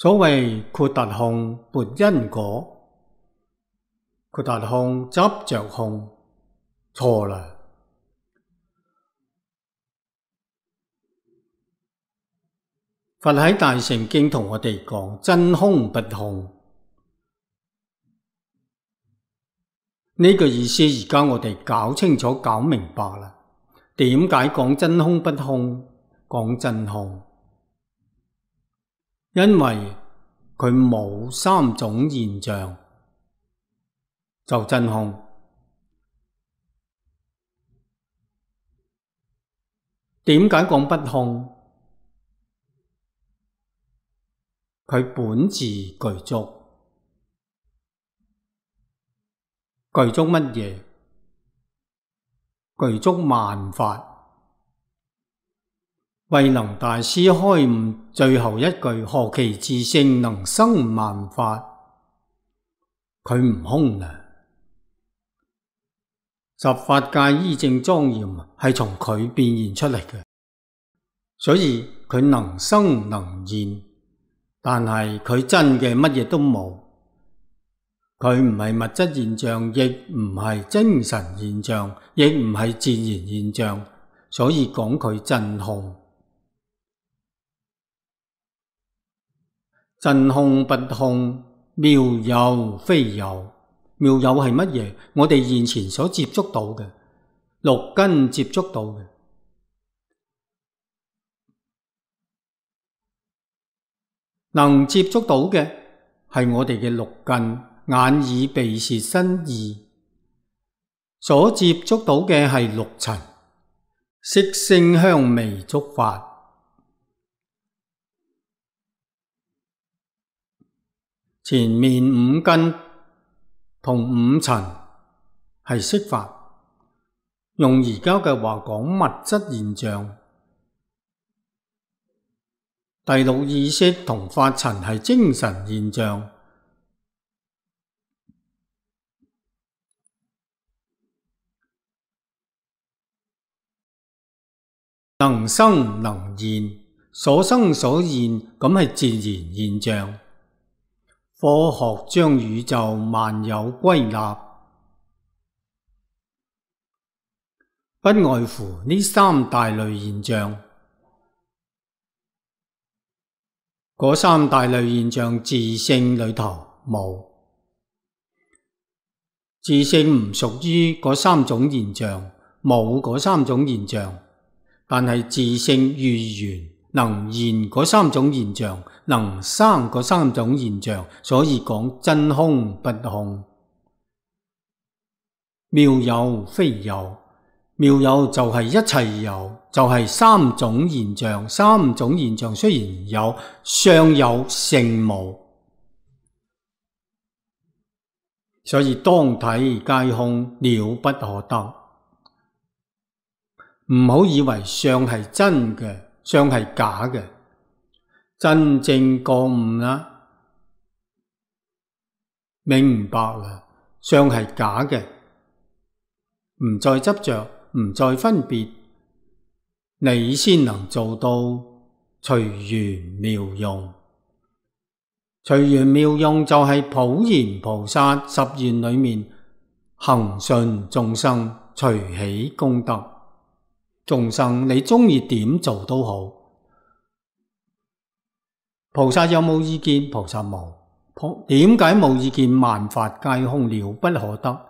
所謂豁達控撥因果，豁達控執着控，錯啦。佛喺大乘經同我哋講真空不空，呢個意思而家我哋搞清楚搞明白啦。點解講真空不空，講真空？因為佢冇三種現象，就真空。點解講不空？佢本自具足，具足乜嘢？具足萬法。慧能大師開悟最後一句，何其自性能生萬法，佢唔空啦。十法界依正莊嚴係從佢變現出嚟嘅，所以佢能生能現。但係佢真嘅乜嘢都冇，佢唔係物質現象，亦唔係精神現象，亦唔係自然現象，所以講佢真空。真空不空，妙有非有。妙有係乜嘢？我哋現前所接觸到嘅，六根接觸到嘅。能接觸到嘅係我哋嘅六根，眼耳鼻舌身意，所接觸到嘅係六塵，色聲香味觸法。前面五根同五塵係色法，用而家嘅話講物質現象。第六意識同法塵係精神現象，能生能現，所生所現咁係自然現象。科學將宇宙萬有歸納，不外乎呢三大類現象。嗰三大類現象自性裏頭冇，自性唔屬於嗰三種現象，冇嗰三種現象，但係自性遇緣能現嗰三種現象，能生嗰三種現象，所以講真空不空。妙有非有，妙有就係一切有，就係三種現象。三種現象雖然有，相有性無，所以當體皆空，了不可得。唔好以為相係真嘅，相係假嘅。真正覺悟啦，明白啦，相係假嘅，唔再執着，唔再分別，你先能做到隨緣妙用。隨緣妙用就係普賢菩薩十願裏面恒順眾生，隨喜功德。眾生你鍾意點做都好，菩薩有冇意見？菩薩冇。點解冇意見？萬法皆空，了不可得。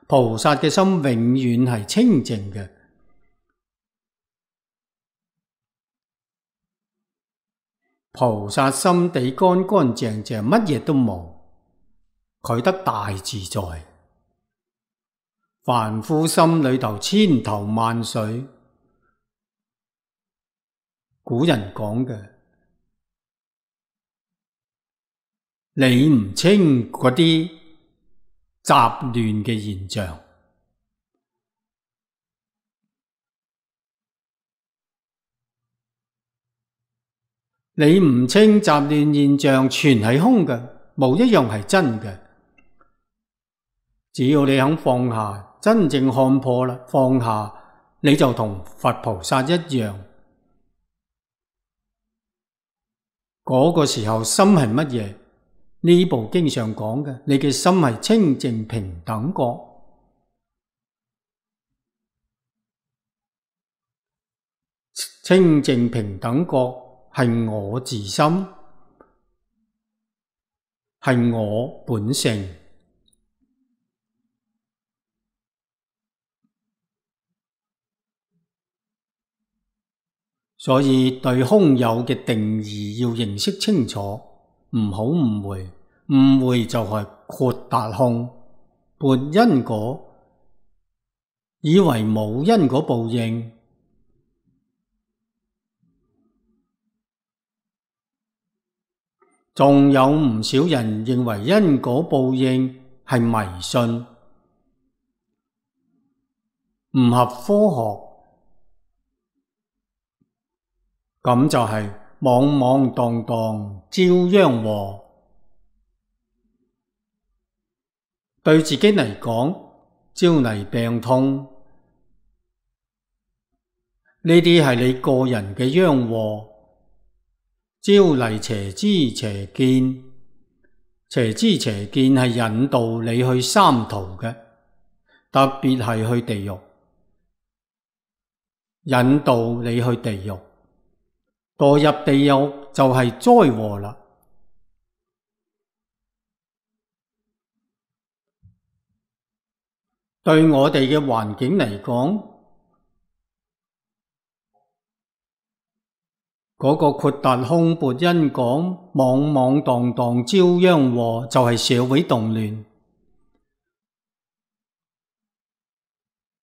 菩薩嘅心永遠係清淨嘅，菩薩心地乾乾淨淨，乜嘢都冇，佢得大自在。凡夫心裏頭千頭萬緒，古人講嘅，理唔清嗰啲雜亂嘅現象，理唔清雜亂現象，全係空嘅，冇一樣係真嘅。只要你肯放下，真正看破啦，放下，你就同佛菩薩一樣，嗰個時候心係乜嘢？呢部經上講嘅，你嘅心係清淨平等覺。清淨平等覺係我自心，係我本性。所以對空有嘅定義要認識清楚，唔好誤會。誤會就係豁達空，撥因果，以為冇因果報應。仲有唔少人認為因果報應係迷信，唔合科學，咁就係莽莽蕩蕩招殃禍。對自己嚟講，招嚟病痛，呢啲係你個人嘅殃禍。招嚟邪知邪見，邪知邪見係引導你去三途嘅，特別係去地獄，引導你去地獄，墮入地獄就係災禍啦。對我哋嘅環境嚟講，嗰個豁達空撥因果，莽莽蕩蕩招殃禍，就係社會動亂，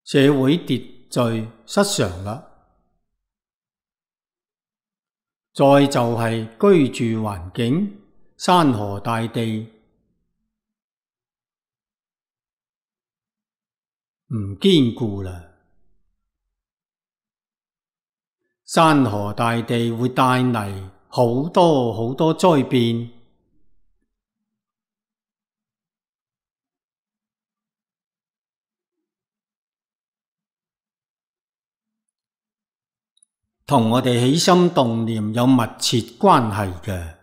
社會秩序失常啦。再就係居住環境，山河大地唔堅固啦。山河大地會帶嚟好多好多災變。同我哋起心動念有密切關係嘅。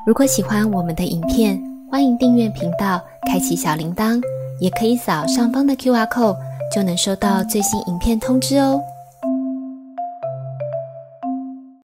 如果喜歡我們的影片，歡迎訂閱頻道，開啟小鈴鐺，也可以掃上方的QR code，就能收到最新影片通知哦。